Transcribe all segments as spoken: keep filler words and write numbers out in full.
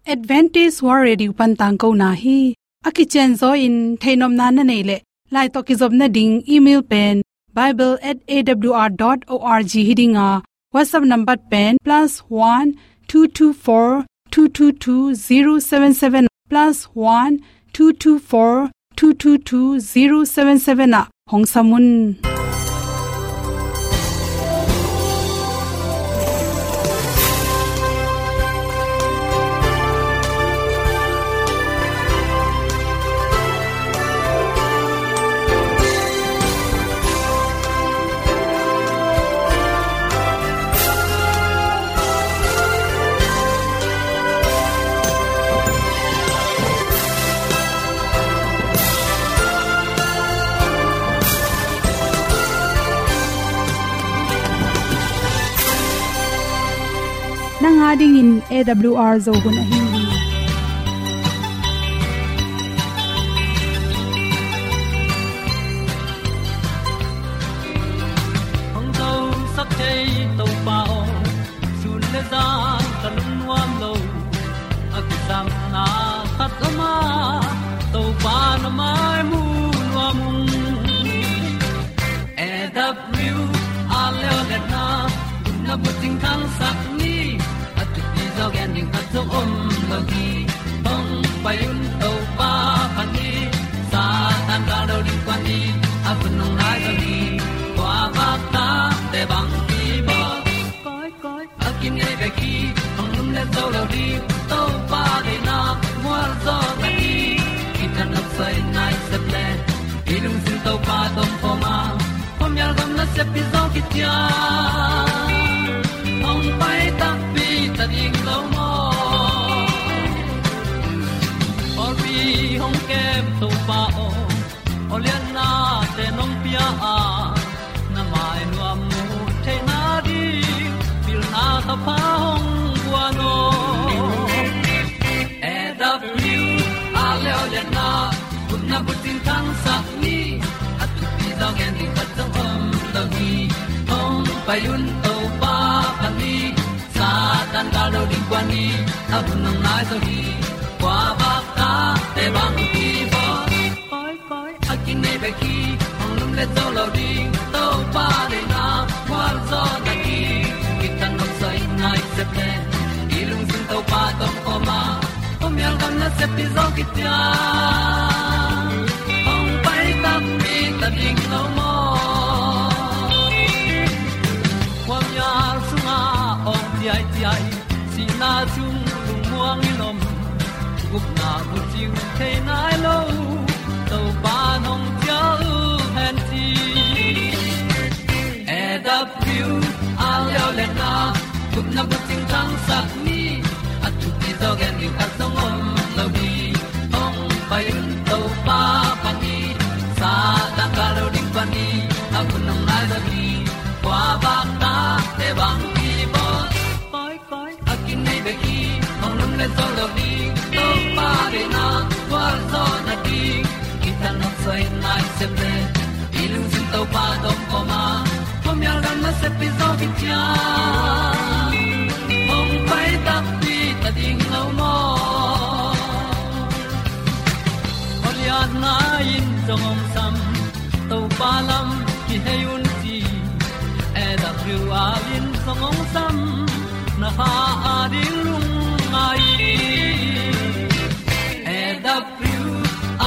Adventist World Radio pan tangkona hi. A kicianzaw in theihnopna na neih leh, lai tawh kizopna ding email pen bible at A W R dot org hi ding a, WhatsApp number pen plus one two two four two two two zero seven seven, plus one two two four two two two zero seven seven ah hong sam un. Nang a dingin A W R Zo hun ahi hi. Hong zosak thei Topa aw, sun le zan ka lungnuam lo. A kisapna khat om a, Topa na mai mu nuam ung. A W R Leolehna, na bucing thangsak ni, a thupi zaw gen ding khat zong om lo hi. Hong pai un Topa phat ni, Satan gal do ding kua ni, a hun hong nai zo hi. Kua vak ta te bang hi bawl. Koi, koi, a kinei bek hi, hong lum le zo lo ding, Topa deihna mual zaw ta hi. Kithat nopsai nai sep le, i lungsim Topa tawh om khawm a, khuamial gam nasep hi zaw kician. Hong pai takpi ta ding lo maw? Pawlpi hong kem Topa aw, awliatnate nong pia a, na mai nuam mu theihna ding pilna thapha hong guan aw. A W R Leolehna, gupna bucing thangsak ni, a thupi zaw gen ding khat zong om lo hi. Hong pai un Topa phat ni, Satan gal do ding kua ni, a hun hong nai zo hi. Kua vak ta te bang hi bawl. Koi, koi, a kinei bek hi, hong lum le zo lo ding, Topa deihna mual zaw ta hi. Kithat nopsai nai sep le, i lungsim Topa tawh om khawm a, khuamial gam nasep hi zaw kician. Hong pai takpi ta ding lo maw? Khuamial sungah awng ciaiciai, sihna sung lungmuang in om, gupna bucing thei nai lo, Topa nong cial hen ci. A W R Leolehna, gupna bucing thangsak ni, a thupi zaw gen ding khat zong om lo hi. Hong pai un Topa phat ni, Satan gal do ding kua ni, a hun hong nai zo hi. Kua vak ta te bang hi bawl. Koi, koi, a kinei bek hi, hong lum le zo lo ding, Topa deihna mual zaw ta hi. Kithat nopsai nai sep le, i lungsim Topa tawh om khawm a, khuamial gam nasep hi zaw kician. Hong pai takpi ta ding lo maw? Awliatna in zong hong sam, Topa lam kihei un ci. A W R in zong hong sam, na kha a ding lungngai. A W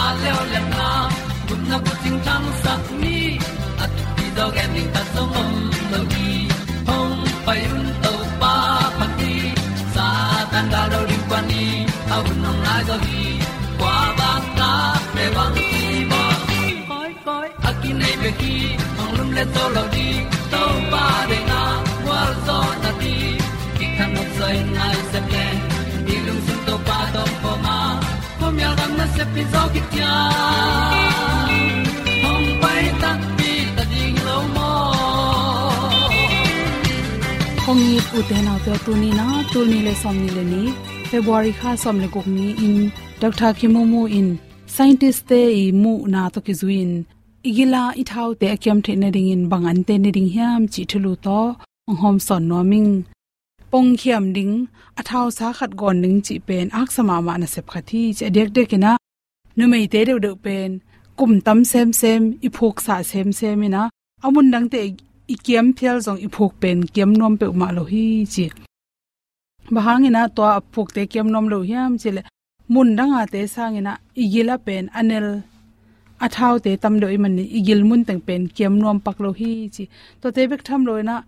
R Leolehna, gupna bucing thangsak ni, a thupi zaw gen ding khat zong om lo hi. Hong pai un Topa phat ni, Satan gal do ding kua ni, a hun hong nai zo hi. Kua vak ta te bang hi bawl. Koi, koi, a kinei bek hi, hong lum le zo lo ding, Topa deihna mual zaw ta hi. Kithat nopsai nai sep le, i lungsim Topa tawh om khawm a, khuamial gam nasep hi zaw kician. Hong pai takpi ta ding lo maw? Kong it ute naute, tuni na, tul nih le sawmnih le nih, February kha sawm le guk ni-in, Doctor Kim Mu Mu in scientist-te i muhna tawh kizui-in i gila i thaute a kiam theih nadingin bang an teh nading hiam cih thulu tawh hong hawmsawn nuam ing. pongkhiam ding, a thausa khat gawn ding cih pen a haksa mahmah nasep khat hi ci. A diakdiakin ah numeite deuhdeuh pen kum tam semsem, i phuksa semsem in ah a mun dangte i kiam phial zong i phuk pen kiam nuam peuhmah lo hi ci. Bang hangin ah tua a phukte kiam nuam lo hiam cih leh, mun dangate sangin ah i gil ah pen a nel, a thaute tam deuh ahih manin i gil mun teng pen kiam nuam pak lo hi ci. Tuate bek tham loin ah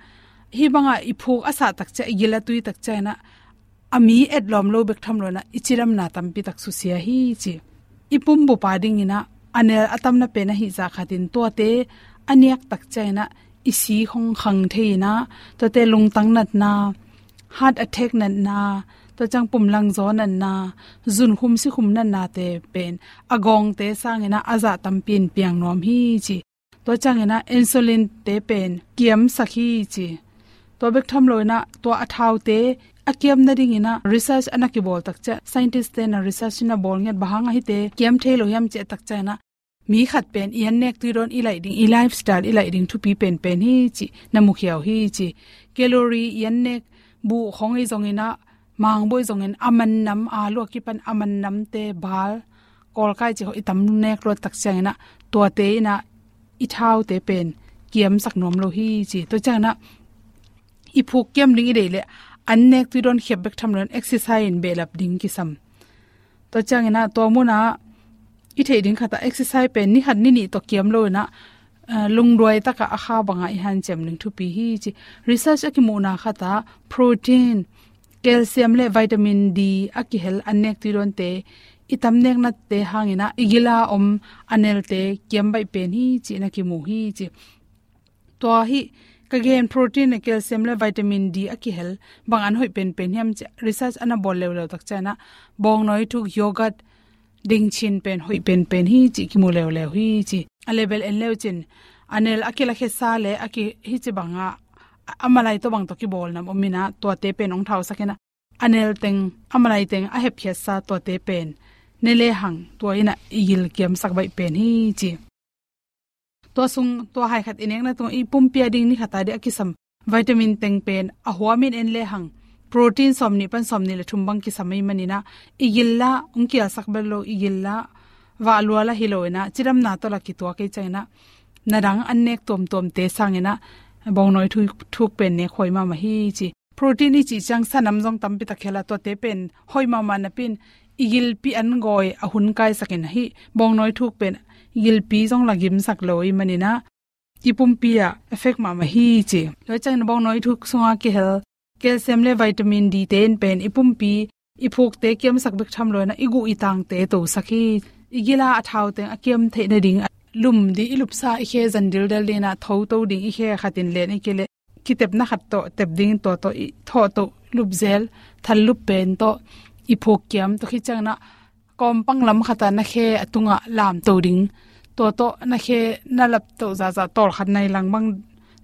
hih bangah i phuk a sah takciang, i gil a tui takciangin ah a mi etlawm lo bek tham loin ah i cidamna tampi tak susia hi ci. I pumbup a dingin ah a nel a tamna pen ahih zah khatin tuate a niak takciangin ah i si hong khang thei in ah, tuate lungtang natna, heart attack natna, tua ciang pumlangzaw natna, zunkhum sikhum natnate pen a gawngte sangin ah a zah tampi in piang nuam hi ci. Tua ciangin ah insulin-te pen kiamsak hi ci. Tua bek tham loin ah tua a thaute a kiam nadingin ah research a na kibawl takciang, scientist-te na research na bawl ngiat, bang hang a hihte kiam thei lo hiam cih takciangin ah mi khat pen i annek tui dawn, i laih ding, i lifestyle i laih ding thupi penpen hi cih na mukhia uh hi ci. Calorie, i annek buh khawng i zongin ah, mangbuh i zongin, a man nam, a luak kipan a man namte, bal, kawlkai cih khawng i tam nek luat takciangin ah tuate in ah i thaute pen kiamsak nuam lo hi ci. Tua ciangin ah i phuk kiam ding i deih leh annek tui dawn khiap bek tham loin exercise in behlap ding kisam. Tua ciangin ah tua munah i theih ding khatah exercise pen ni khat ni nih tawh kiam loin ah, ah, lungduai takah a kha bangah i hanciam ding thupi hi ci. Research a kimuhna khatah protein, calcium le vitamin D a kihel annek tui dawnte i tam neknate hangin ah i gil a om a nelte kiam baih pen hi cih na kimu hi ci. Tua hih ka gen protein le calcium le vitamin D a kihel bang an hoih penpen hiam cih research a na bawl leuleu takciangin ah bawngnawi thuk, yogurt, dingchin pen hoih penpen hi cih kimu leuleu hi ci. A level en leu cin a nel a kilakhesa le a ki, hih ci bangah a malai tawh bang tawh kibawl nam om in ah tuate pen hong thausak in ah a nel teng, a malai teng a hepkhiatsa tuate pen ne lehang tua in ah i gil kiamsak baih pen hi ci. Tua sung, tua hai khat i nekna tungah i pumpi a ding ni khat a ding a kisam vitamin teng pen a huamin en lehang protein sawmnih pan sawmnih le thum bang kisam ahih manin ah i gil lah hong kialsak bel lo, i gil lah vah lua lah hi loin ah cidamna tawh lah kituak ahih ciangin ah na dang annek tuamtuamte sangin ah bawngnawi thuk, thuk pen nek huai mahmah hi ci. Protein i cih ciang sa nam zong tampi tak hel a, tuate pen hoih mahmah napi-in i gilpi an gawi a hun kaisak in ah hih bawngnawi thuk pen gilpi zong lah gimsak lo ahih manin ah i pumpi ah effect mahmah hi ci. Tua ciangin bawngnawi thuk sungah kihel calcium le vitamin D te in pen i pumpi, i phukte kiamsak bek tham loin ah i guh i tangte tosak hi. I gil a a thau teng a kiam theih nading ah lum ding, i lupsa i khe zan dildel dingin ah thoto ding, i khe khatin len i kile kitepna khat tawh tep dingin tua tawh i thawh toh lupzel, thallup pen tawh i phuk kiam tawh khit ciangin ah kawmpang lam khatah na khe a tungah lamto ding. Tua tawh na khe na laptoh zahzah tawlkhat nai lang bang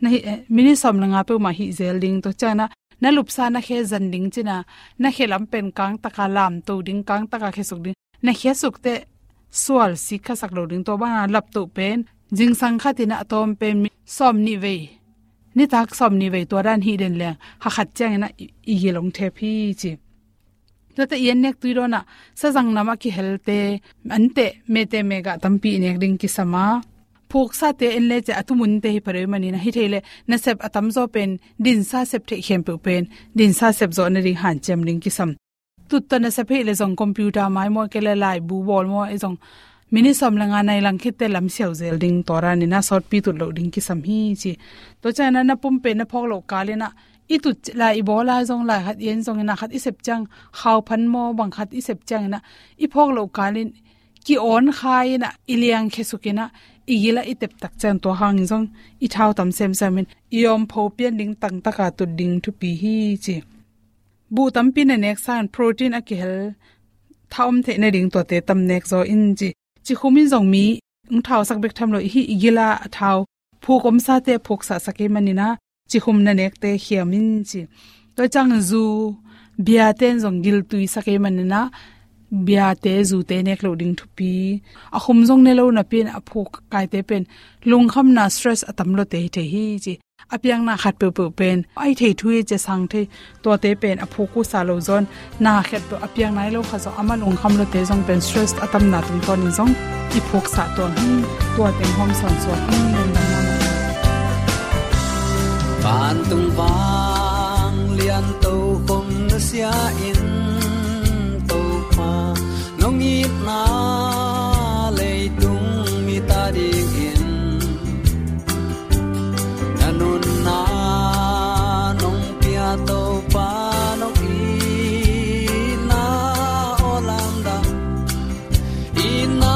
na hih, eh, minute sawm le nga peuhmah hih zel ding. Tua ciangin ah na lupsa na khe zan ding cin ah na khe lam pen kangtaka lamto ding, kangtaka khesuk ding. Na khesuk teh sual sik khasak lo ding, tua bangin ah laptoh pen zingsang khatin ah a tawm pen mi, sawmnih vei, nitak sawmnih vei tua dan hih den leng kha khat ciangin ah i, i gil hong thep hi ci. Tuate i annek tui dawn ah sazang nam a kihelte anteh, meteh megah tampi i nek ding kisam a, phuksate en lecin a tumunte hi pha deuh ahih manin ah hi thei leh nasep a tamzaw pen dinsa sep theih khempeuh pen dinsa sep zawh nading hanciam ding kisam. Tut tawh nasep hi leh zong computer mai maw, kei leh laibu bawl maw, i zong minute sawm le nga nai lang khit teh lam siau zel ding, tua danin ah sawtpi tut loh ding kisam hi ci. Tua ciangin ah na pum pen na phawk loh kalin ah i tut lai i bawl lai zong, lai khat i en zongin ah khat i sep ciang, khauphan maw bang khat i sep ciangin ah i phawk loh kalin ki-awn kha in ah i liang khesuk in ah i gil ah i tep tak ciang tua hangin zong i thau tam semsem in i awmpho pian ding, tangtaka tut ding thupi hi ci. Buh tampi na nek sangin protein a kihel tha om theih nading tuate tam nek zaw in ci. Cikhum in zong mi hong thausak bek tham lo, i hih i gil a a thau phuk omsate phuksahsak ahih manin ah cikhum na nekte khiam in ci. Tua ciang zu, biate in zong giltuisak ahih manin ah biate, zute nek loh ding thupi. A khum zong ne lo napi-in a phuk kaite pen lungkhamna, stress a tam lawte hi thei hi ci. A piakna khat peuhpeuh pen a i thei thu hi ci a sang thei, tuate pen a phuk uh sa lo zaw-in, na khat peuh a piak nai lo kha zong amah lungkham lote zong pen stress a tamna tungtawnin zong i phuksa tuan hi. Tua teng hong sawnsuak hi. Lungdam mahmah. Vantung vanglian tokhom nusia in, Topa, nong itna leitung mit a dingin na nunna nong pia, Topa, nong itna aw lamdang. Itna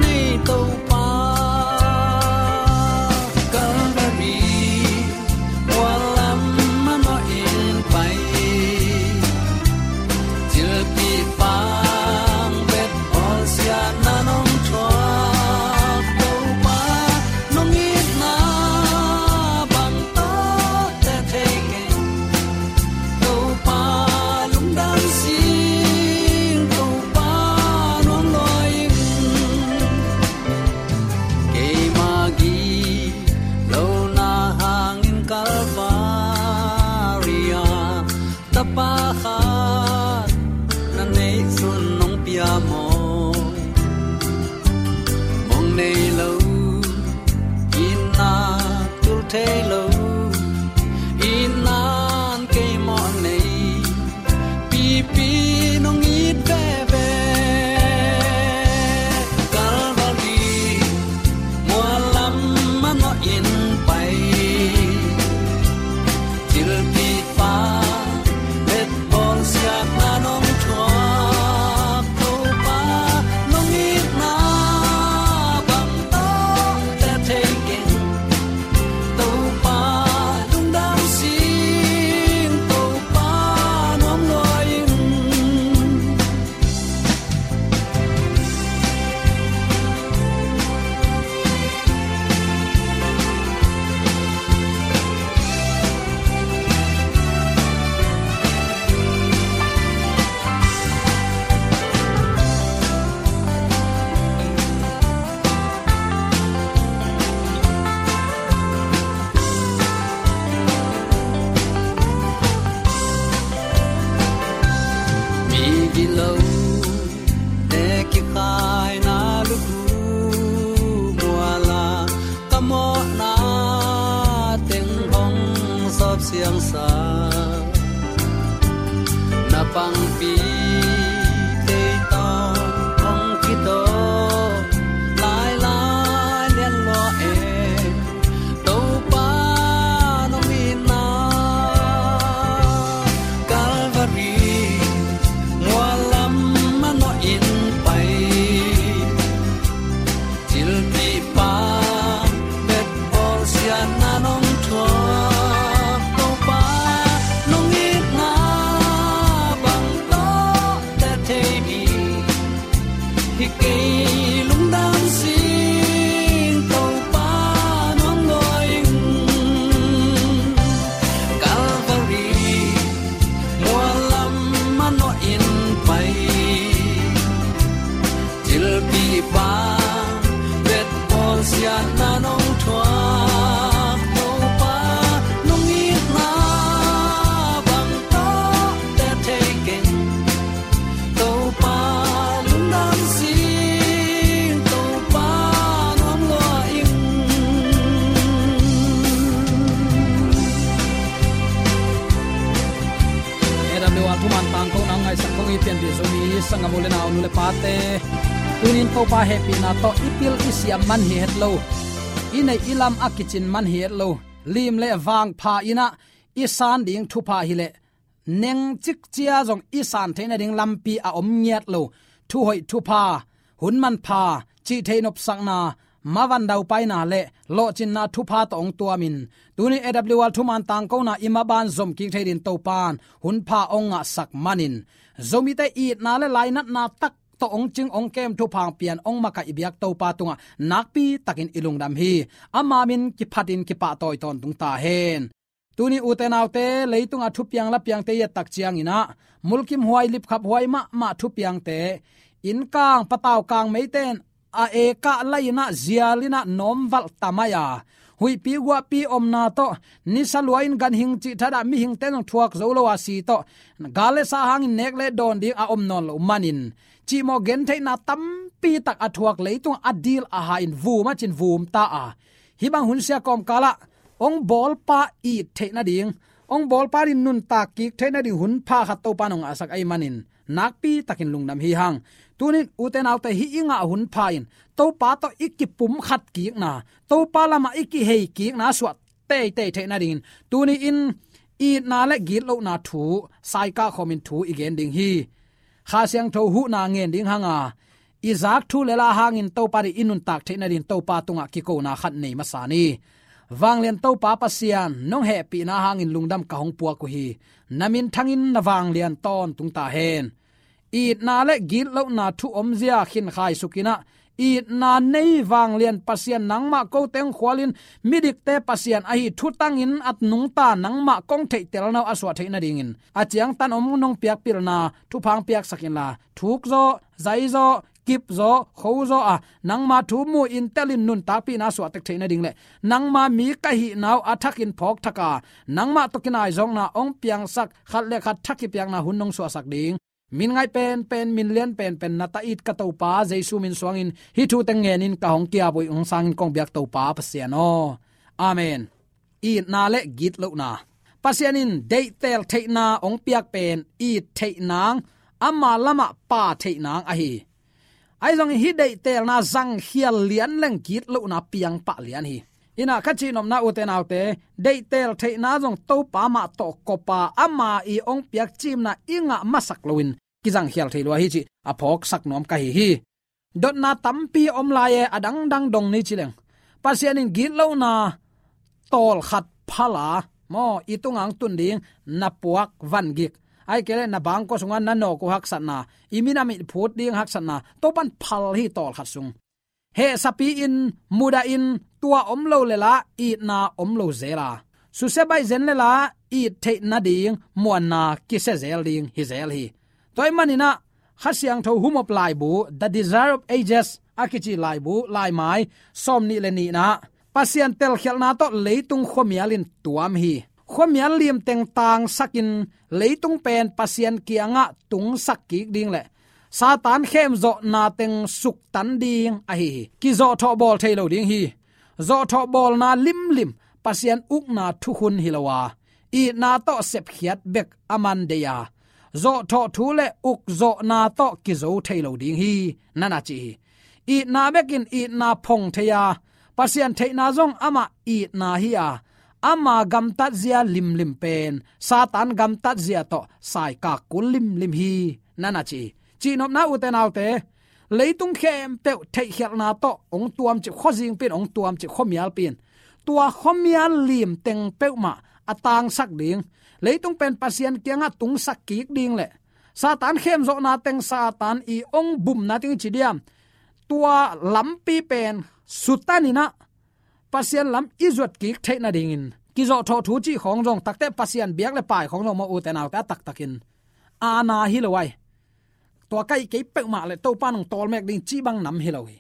nei Topa, Calvary mual lam manawhin pai. Cilpi pang bet bawlsiatna nong thuak, Topa, nong itna bang tawh teh thei keng. Topa lungdam sing, Topa nuam lua in. Keima gilo na hangin Calvary ah tapa khat na neih sun nong pia maw? Mong nei lo, itna tul thei lo, itna in kei mawh nei, pipi nong it veve. Calvary mual lam manawhin pai. Cilpi pang bet bawlsiatna nong thuak, Topa, nong itna bang tawh teh thei keng. Topa lungdam sing, Topa nuam lua in. Mi gilo te kikhaina lukhu mual ah ka mawhna teng hong sawp siangsa. Na pangpi tei tawh hong kitawk lailai lian lua e. Topa nong itna Calvary mual lam manawhin pai. Cilpi pang bet bawlsiatna nong thuak, Topa nong itna bang tawh teh thei mi hi kei lungdam sing, Topa nuam lua in. Calvary mual lam manawhin pai. Cilpi pang bet bawlsiatna nong thuak, Topa nong itna bang tawh teh thei keng. Topa lungdam sing, Topa nuam lua in. A W R thuman tangkona ngaisak kong i pianpih Zomi sanggam u le nau, nu le pate, tunin Topa hehpihna tawh i pil i siam man hi het lo, i neih i lam a kicin man hi het lo, lim le vangpha in ah i san ding thupha hileh neng cikcia zong i san theih nading lampi a om ngiat lo. Thuhoih thupha, hun manpha, cih theih nopsakna, mavan daupaina le lawhcinna thupha tawh hong tuamin, tuni A W R thuman tangkona i maban zom kik thei dingin Topan hunpha hong ngahsak manin, Zomite itna le lainatna tak tawh hong cing hong kem thupha hong pian hong makaih i biak Topa tungah nakpi takin i lungdam hi. Ama min kiphatin kipahtawi tawntung ta hen. Tuni ute naute, leitunga thupiang lapiangte i et tak ciangin ah, mulkimhuai lipkhaphuai mahmah thupiangte, innkang pataukang meite in a ekah lai-in ah zial in ah nawmvalh ta mai a, huihpi guahpi omna tawh, nisa lua-in ganhing cih thadah mihingte zong thuak zo lo a si tawh, gal le sa hangin nek le dawn ding a om nawn loh manin, cihmawh gentheihna tampi tak a thuak leitung a dil a ha-in vum a cin vum ta a, hih bang hunsia kawmkalah hong bawlpa it theih nading, hong bawlpa in nuntak kik theih nading hun pha khat Topa in hong ngahsak ahih manin, nakpi takin lungdam hi hang. Tunin ute naute, hih i ngah hun pha in Topa tawh i kipumkhat kikna, Topa lamah i kihei kikna suah teitei theih nadingin, tuni-in itna le gitlohna thu saikah khawmin thu i gen ding hi. Kha Siangtho huhna ngen ding hanga, i zak thu le la hangin Topa ding i nuntak theih nadingin Topa tungah kikona khat nei masa ni. Vanglian Topa Pasian, nong hehpihna hangin lungdam ka hong puak uh hi. Na minthangin na vanglian tawntung ta hen. Itna le gitlohna thu omzia khin khaisukinah, itna nei vanglian Pasian, nangmah kote hong khualin midikte Pasian ahi thutangin at nungta nangmah kong theihtelna uh a suah theih nadingin, a ciangtan om nong piakpilna thupha hong piaksak inla, thuk zawh, zai zawh, kip zawh, kho zawh a, nangma thu mu-in telin nuntakpihna suahtek theih nading le nangma mi ka hihna uh a thakin phawk thak a, nangmah tawh kinaizawkna hong piangsak, khat le khat thakipiakna hun nong suahsak ding, min ngaih penpen, min lian penpen na ta it ka Topa Jesu min suangin hih thu teng ngenin ka hong ki-ap uh hi. Hong sangin kong biak Topa Pasian aw. Amen. Itna le gitlohna. Pasian in deihtel theihna hong piak pen it theih nang, ama lamah pha theih nang ahi. Ahi zongin hih deihtelna zangkhial lian leng gitlohna piang pah lian hi. Inah ka cihnopna ute naute, deihtel theihna zong Topa mah tawh kop a, ama i hong piak cimna i ngah masak loin kizangkhial thei lua hi cih a phawksak nuam ka hi hi. Dotna tampi om lai e, a dangdang dong ni ci leng, Pasian in gitlohna tawlkhat phal a, maw, i tunga hong tun ding na puak vangik, ahih kei leh na bangkua sungah na nawk uh haksatna, i minam i phut ding haksatna, Topa in phal hi tawlkhat sung. Hehsapi-in, mudahin, tua om lo le la itna om lo zel a, susia baih zen le la it theih nading muanna kisia zel ding hi zel hi. Tua ahih maninah Kha Siangtho humop laibu, The Desire of Ages a kici laibu, laimai sawmnih le nihna, Pasian telkhialhna tawh leitung khuamial in tuam hi. Khuamial limteng tangsakin leitung pen Pasian kiangah tungsak kik ding le Satan khemzawhna teng suktan ding ahi hi. Kizawhthawh bawl thei lo ding hi. Zawhthawh bawlna limlim Pasian ukna thukhun hi lo a, itna tawh sepkhiat bek a man dei a, zawhthawh thu le ukzawhna tawh kizo thei lo ding hi, nana ci hi. Itna bekin itna phong thei a, Pasian theihna zong amah itna hi a, ama gamtatzia limlim pen Satan gamtatzia tawh saikak kul limlim hi, nana ci hi. Cihnopna ute naute, leitung khempeuh theihkhialhna tawh hong tuamcip, khuazingpi in hong tuamcip, khuamialpi in. Tua khuamial limteng peuhmah a tangsak ding, leitung pen Pasian kiangah tungsak kik ding le Satan khemzawhna teng, Satan i hong bumna teng i ci diam, tua lampi pen sutaninah Pasian lam i zuat kik theih nadingin, kizawhthawh thu cih khawng zong, takte Pasian biak le pai khawng zong maw ute naute, a taktakin aana hi lo ai. Tua kaih kei peuhmah le Topa in hong tawlmek ding cih bang nam hi lo hi.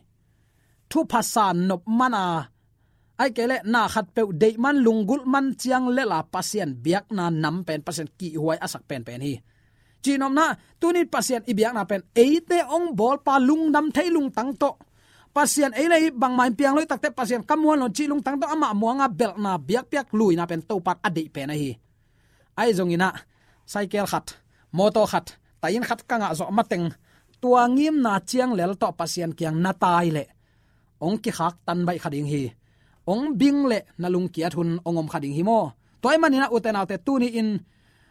Thupha sa nop man a, ahih kei leh na khatpeuh deih man, lunggulh man ciang lel a Pasian biakna nam pen Pasian kihhuai a sak penpen hi. Cihnopna, tunin Pasian i biakna pen eite hong bawlpa lungdam thei lungtang tawh, Pasian ei le ei bangmah in piang lo hi, takte Pasian ka muan lo cih lungtang tawh amah muanga belhna, biakpiak luina pen Topa in a deih pen ahi. Ahi zonginah, cycle khat, mawtaw khat, tahin khat ka ngah zawh mateng, tua ngimna ciang lel tawh Pasian kiang na tai leh hong kikhaktan baih kha ding hi. Hong bing leh na lungkiat hun hong om kha ding hi maw. Tua ahih maninah ute naute, tuni-in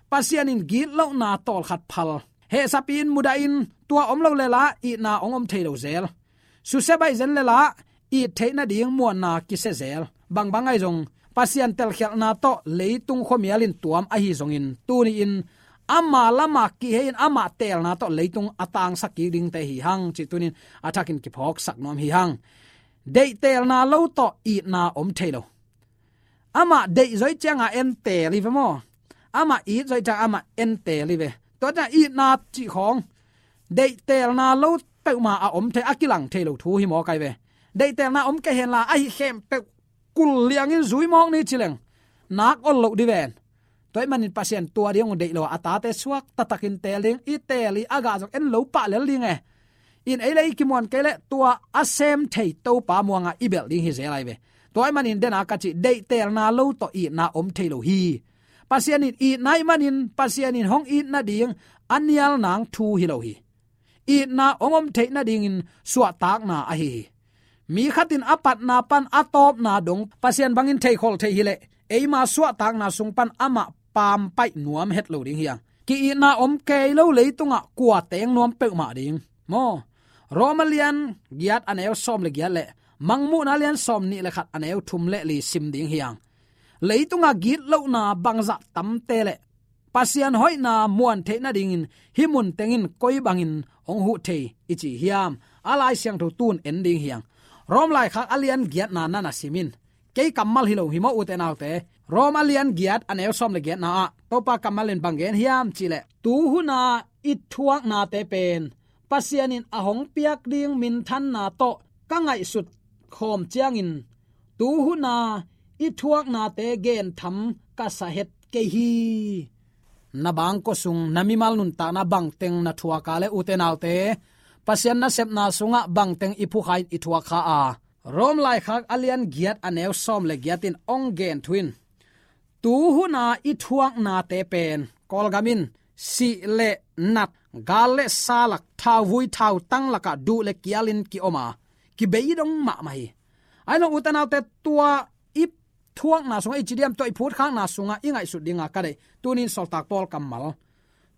Pasian in gitlohna tawlkhat phal, hehsapi-in, mudahin, tua om lo le la itna hong om thei lo zel. Susia baih zen le la it theih nading muanna kisia zel. Bangbang ahi zong, Pasian telkhialhna tawh leitung khuamial in tuam ahi zongin, tuni-in ama lamah kihei-in amah teelna tawh leitung a tangsak kik dingte hi hang cih tunin a thakin kiphawksak nuam hi hang. Deihtelna lo tawh itna om thei lo. Amah deih zawh cianga en teel hi ve maw. Amah it zawh cianga amah en teel hi ve. Tua ciang itna cih khawng, deihtelna lo peuhmah a om thei, a kilang thei lo thu hi mawk ai ve. Deihtelna om kei henla, ahi khempeuh kul liangin zui mawk ni ci leng nak ol loh di ven. Tua ahih manin Pasian tua ding hong deih lo a, a tate suak taktakin teel ding, i teel i a gah zong en lo pah lel ding e. In ei le ei kimuan kei leh tua a sem thei Topa muangah i belh ding hi zel lai ve. Tua ahih manin den a ka cih deihtelna lo tawh itna om thei lo hi. Pasian in itna ahih manin Pasian in hong it nading a nial nang thu hi lo hi. Itna hong om theih nadingin suahtakna ahi hi. Mi khat in a patna pan a tawpna dong Pasian bangin theikhol thei hi leh eima suahtakna sung pan amah pampaih nuam het lo ding hi hang. Ki-itna om kei lo leitungah kua teng nuam peuhmah ding maw? Rom a lian giat a neu sawm le giat le Mangmuhna a lian sawm nih le khat a neu thum le li sim ding hi hang. Leitungah gitlohna bangzah tamte le Pasian hoihna muan theih nadingin hih mun tengin koi bangin hong huh thei i ci hiam? A Lai Siangtho tun en ding hi hang. Rom laikhak a lian giatna na na sim in. Kei kammal hi lo hi maw, ute naute? Rom a lian giat a neu sawm le giatna ah Topa kammal in bang gen hiam cih leh, tu huna i thuaknate pen Pasian in a hong piak ding minthanna tawh ka ngaihsut khawm ciangin tu huna i thuaknate gentham ka sa het kei hi. Na bangkua sung na mimal nuntakna bangteng na thuak a le, ute naute, Pasian nasepna sungah bangteng i phukha in i thuak kha a? Rom laikhak a lian giat a neu sawm le giat in hong gen thu in, tu huna i thuaknate pen Kawlgam in sih le nat, gal le sa lak, thauvui thautang lakah duh le kialin ki-om a, kibeidong mahmah hi. Ahi zong ute naute, tua i thuakna sungah, i ci diam, tua i phutkhakna sungah i ngaihsut dinga ka deih tunin sawltak Paul kammal,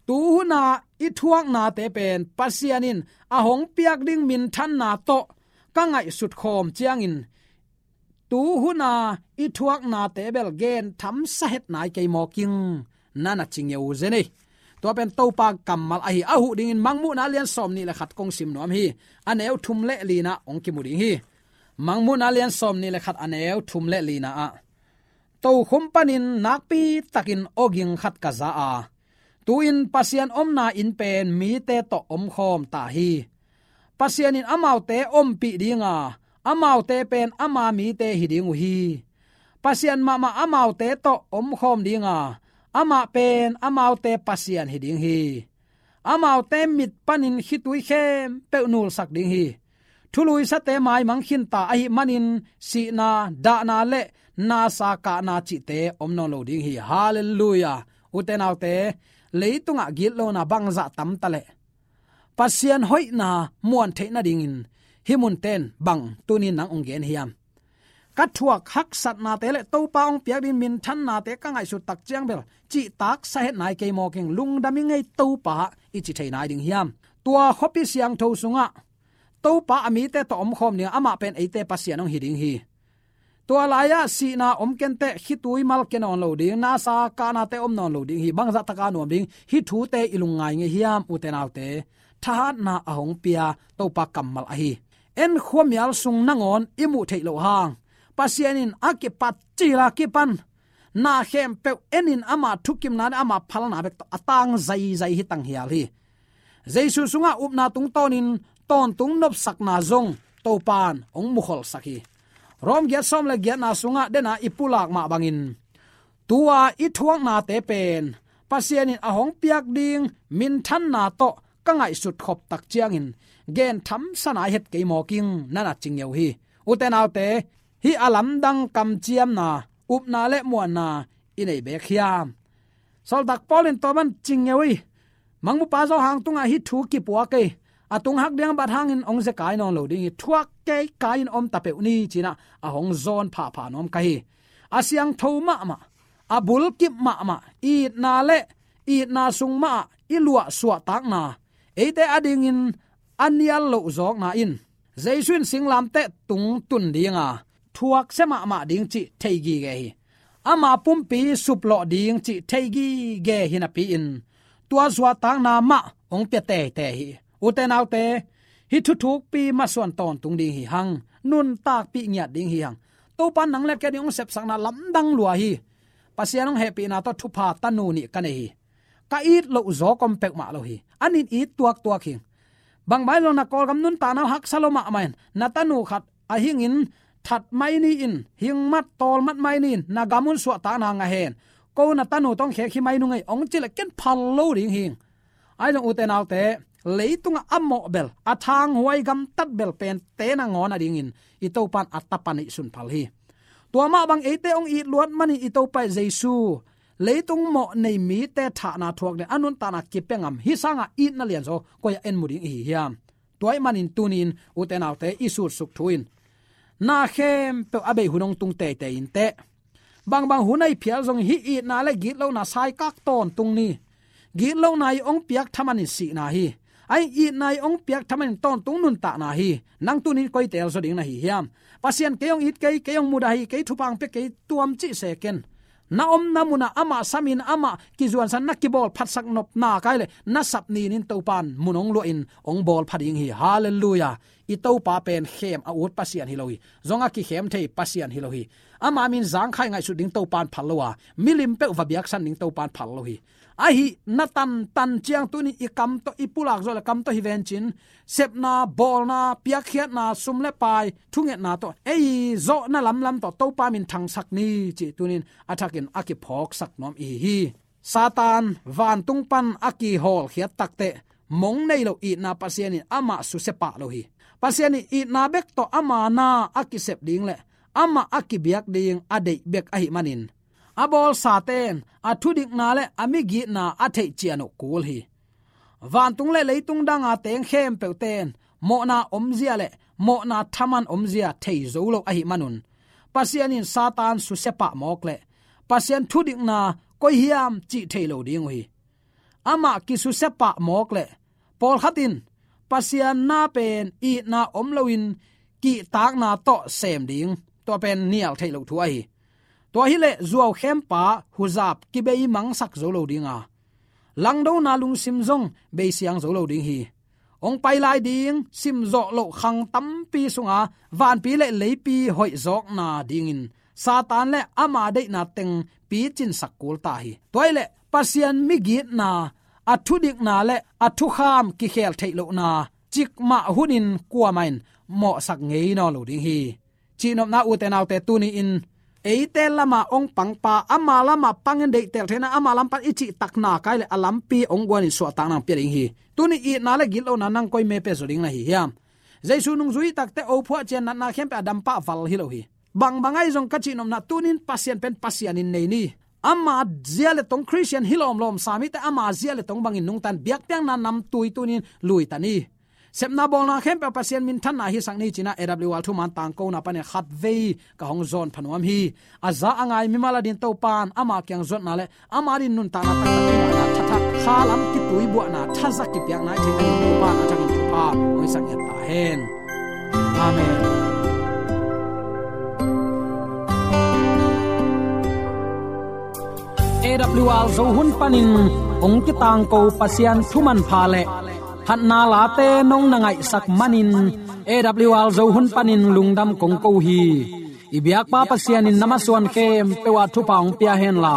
tu huna i thuaknate pen Pasian in a hong piak ding minthanna tawh ka ngaihsut khawm ciangin tu huna i thuaknate bel gentham sa het nai kei maw king, na na ci ngeu zen ei. Tua pen Topa kammal ahi, a huh dingin Mangmuhna a lian sawm nih le khat kong sim nuam hi. A neu thum le lina hong kimu ding hi. Mangmuhna a lian sawm nih le khat a neu thum le lina ah, tokhom panin nakpi takin awging khat ka za a, tu-in Pasian omna inn pen mite tawh omkhawm ta hi. Pasian in amaute ompih dinga, amaute pen ama mite hi ding uh hi. Pasian mahmah amaute tawh omkhawm dinga, amah pen amaute Pasian hi ding hi. Amaute mit panin khitui khempeuh nulsak ding hi. Thuluisate maimang khinta ahih manin sihna, dahna le nasa kahna cihte om nawn lo ding hi. Halleluiah. Ute naute, leitungah gitlona bangzah tamta le Pasian hoihna muan theih nadingin hih munten bang tunin nang hong gen hiam? Ka thuak haksatnate le Topa hong piak ding minthannate ka ngaihsut tak ciang bel cihtak sa het nai kei maw king, lungdam i ngei Topa i ci thei nai ding hiam? Tua khuapi siangtho sungah Topa a mite tawh omkhawm ding, amah pen eite Pasian hong hi ding hi. Tua lai-ah sihna om kenteh, khitui mal kia nawn lo ding, nasa kahnate om nawn lo ding hi. Bangzah taka nuam ding hih thute i lungngai ngei hiam, ute naute? Thahatna a hong pia Topa kammal ahi. En khuamial sung nangawn i muh theih loh hang Pasian in a kipat cila kipan na khempeuh enin ama thukimna le ama phalna bek tawh a tang zaizai hi tanghial hi. Jesu sungah upna tungtawnin tawntung nopsakna zong Topan hong mukholsak hi. Rom giat sawm le giatna sungah dena i pulak mah bangin tua i thuaknate pen Pasian in a hong piak ding minthanna tawh ka ngaihsut khop tak ciangin gentham sa nai het kei maw king, na na ci ngeu hi. Ute naute, hih a lamdang kamciamna, upna le muanna i nei bek hiam? Sawltak Paul in tua ban ci ngeu hi. Mangmupa Johan tungah hih thu kipuak ei. A tung hak ding a bat hangin hong zekai nawn lo ding hi. Thuak kei kai-in om ta peuh ni, ci-in ah a hong zawn phapha nuam ka hi. A siangtho mahmah, a bulkip mahmah, itna le itna sung mahah i luah suahtakna, eite adingin a nial loh zawkna in Jesu in singlamteh tung tun dinga thuaksia mahmah ding cih thei gige hi. Ama pumpi suplawh ding cih thei gige hi napi-in tua suahtakna mah hong pia teitei hi. Ute naute, hih thuthukpi masuan tawntung ding hi hang. Nuntakpih ngiat ding hi hang. Topa nang le kei ding hong sepsakna lamdang lua hi. Pasian hong hehpihna tawh thupha tanu nih ka nei hi. Ka it loh zawk om peuhmah lo hi. An in it tuaktuak hi. Bangmah hi lo, na Kawlgam nuntakna uh haksa lo mahmah in, na tanu khat a hingin that mai ni in, hingmat tawlmat mai ni in, na gam un suahtakna ngah hen. Ko na tanu tawh khek hi mai nung ei, hong cih leh ken phal lo ding hi. Ahi zong ute naute, leitungah a mawh bel, a thanghuai gamtat bel pen te nangawn a dingin i Topa'n a Tapa neihsun phal hi. Tua mah bang eite hong it luat manin i Topa Jesu leitung mawh nei mite thahna thuak ding a nuntakna kipia ngam hi sangin itna lianzaw koi-ah en mu ding i hi hiam? Tua ahih manin tuni-in ute naute i sutsuk thu in na khempeuh a bei hun hong tung teitei inteh. Bangbang hun ahi phial zong hih itna le gitlohna saikak tawntung ni. Gitlohna i hong piak thaman in sihna hi. Ahi itna i hong piak thaman in tawntung nuntakna hi. Nang tuni-in koi teel zaw ding na hi hiam? Pasian kei hong it kei, kei hong mudah hi, kei thupha hong pia kei tuam cih se ken. Na omna munah amah samin amah kizuansan na kibawl phatsak nopna kai le na sap nin in Topa'n mun hong luahin hong bawl pha ding hi. Halleluiah. I Topa pen khem a ut Pasian hi lo hi. Zong a kikhem thei Pasian hi lo hi. Ama min zangkhai ngaihsut ding Topa'n phal lo a, milim peuh va biaksan ding Topa'n phal lo hi. Ahi na tantan ciang tuni i kam tawh i pulak zawh le kam tawh hi vencin, sepna, bawlna, piakkhiatna, sum le pai, thungetna tawh ei zawhna lamlam tawh Topa min thangsak ni cih tuni-in a thakin a kiphawksak nuam i hi hi. Satan vantung pan a kihawlkhiat takteh mong nei lo itna Pasian in amah susia pah lo hi. Pasian in itna bek tawh ama na a kisep ding le amah a kibiak ding a deih bek ahih manin a bawlsate in a thudikna le a migitna a theih cian uh kul hi. Vantung le leitung danga teng khempeuhte in mawhna omzia le mawhna thaman omzia thei zo lo ahih manun Pasian in Satan susia pah mawk le Pasian thudikna koi hiam cih thei lo ding uh hi. Amah kisusia pah mawk le pawlkhat in Pasian na pen itna om loin kihtakna tawh sem ding, tua pen nial theih loh thu ahi. Tua hileh zuaukhempa huzap kibei mangsak zo lo ding a, langdona lungsim zong beisiang zo lo ding hi. Hong pai lai ding simzawh loh khang tampi sunga vanpi le leipi hoihzawkna dingin Satan le ama deihna teng picinsak kul ta hi. Tua hileh Pasian migitna, a thudikna le a thukham kikhel theih lohna cikmah hunin kuamah in mawhsak ngei nawn lo ding hi. Cihnopna ute naute tuni-in eite lama hong pangpa, ama lama pangin deihtel theihna, ama lam pan i cihtakna kai le a lampi hong guanin suahtakna hong pia ding hi. Tuni itna le gitlohna nang koi me pia zaw ding na hi hiam? Jesu nungzui takte ophuah cian natna khempeuh a dampah val hi lo hi. Bangbang ahi zong ka cihnopna tunin Pasian pen Pasian in nei ni. Ama zia le tong Khristian hi lawmlawm sa mite ama zia le tong bangin nungtan biakpiakna namtui tunin luita ni. Sepna bawlna khempeuh Pasian minthanna hisak ni cih na A W R thuman tangkona panin khatvei ka hong zawn pha nuam hi. A za a ngai mimal a din Topa'n ama kiang zuatna le ama din nuntakna taktak kingahna thathak khalam kituibuahna thaza kipiakna i theih manin Topa'n a thakin thupha hong hisak ngiat ta hen. Amen. A W R Zo hun panin hong kitangko Pasian thu manpha le phatna late nong na ngaihsak manin A W R Zo hun panin lungdam kong ko hi. I biakpa Pasian in na masuan khempeuh ah thupha hong pia henla,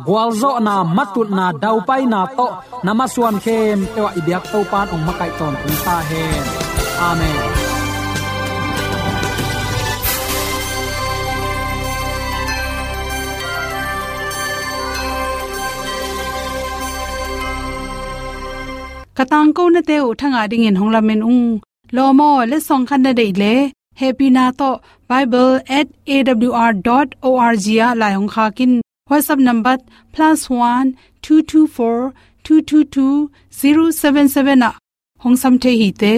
gualzawhna, matutna, daupaina tawh na masuan khempeuh ah i biak Topa'n hong makaih tawntung ta hen. Amen. Ka tangkonate uh thangah dingin hong lamen ung. Lawm aw, letsong khat na deih leh hehpihna tawh bible at A W R dot O R G ah lai hong khak in. WhatsApp number plus one two two four two two two zero seven seven ah hong sam thei hi te.